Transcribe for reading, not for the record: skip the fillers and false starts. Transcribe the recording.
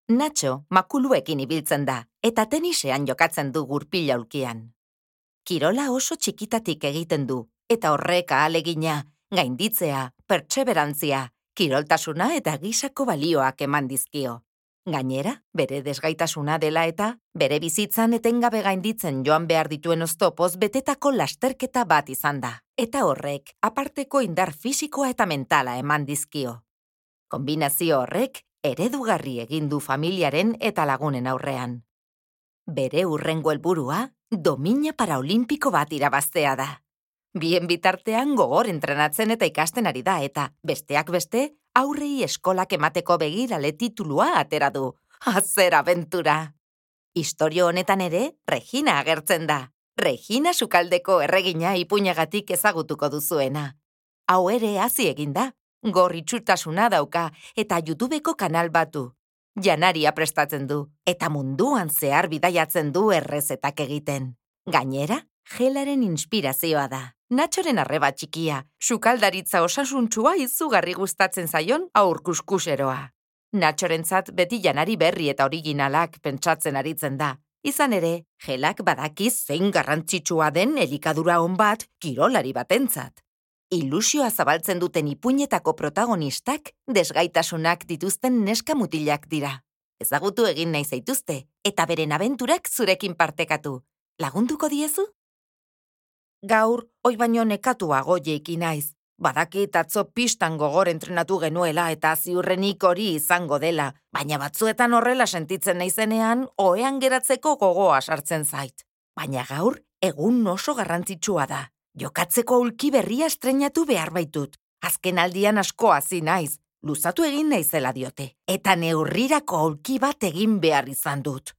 Nacho makuluekin ibiltzen da, eta tenisean jokatzen du gurpila ulkian. Kirola oso txikitatik egiten du, eta horrek ahalegina, gainditzea, pertseberantzia, kiroltasuna eta gisako balioak eman dizkio. Gainera, bere desgaitasuna dela eta, bere bizitzan etengabe gainditzen joan behar dituen oztopoz betetako lasterketa bat izan da, eta horrek aparteko indar fisikoa eta mentala eman dizkio. Kombinazio horrek eredugarri egin du familiaren eta lagunen aurrean. Bere hurrengo helburua, domina paraolimpiko bat irabaztea da. Bien bitartean gogor entrenatzen eta ikasten ari da eta, besteak beste, aurrei eskolak emateko begirale titulua atera du. Zer abentura! Istorio honetan ere, Regina agertzen da. Regina Sukaldeko erregina ipuinagatik ezagutuko duzuena. Hau ere hasi egin da. Gorritxutasuna dauka eta YouTubeko kanal batu. Janaria prestatzen du, eta munduan zehar bidaiatzen du errezetak egiten. Gainera, gelaren inspirazioa da. Natxoren arreba txikia, sukaldaritza osasuntsua izugarri gustatzen zaion aurkuskuseroa. Natxorentzat beti janari berri eta originalak pentsatzen aritzen da. Izan ere, gelak badakiz zein garrantzitsua den elikadura on bat kirolari batentzat. Ilusioa zabaltzen duten ipuinetako protagonistak desgaitasunak dituzten neska mutilak dira. Ezagutu egin nahi zaituzte, eta beren abenturak zurekin partekatu. Lagunduko diezu? Gaur, oi baino nekatuago jeiki naiz. Badakit atzo pistan gogor entrenatu genuela eta ziurrenik hori izango dela, baina batzuetan horrela sentitzen naizenean, ohean geratzeko gogoa sartzen zait. Baina gaur, egun oso garrantzitsua da. Jokatzeko aulki berria estreinatu behar baitut. Azken aldian asko hasi naiz, luzatu egin naizela diote, eta neurrirako aulki bat egin behar izan dut.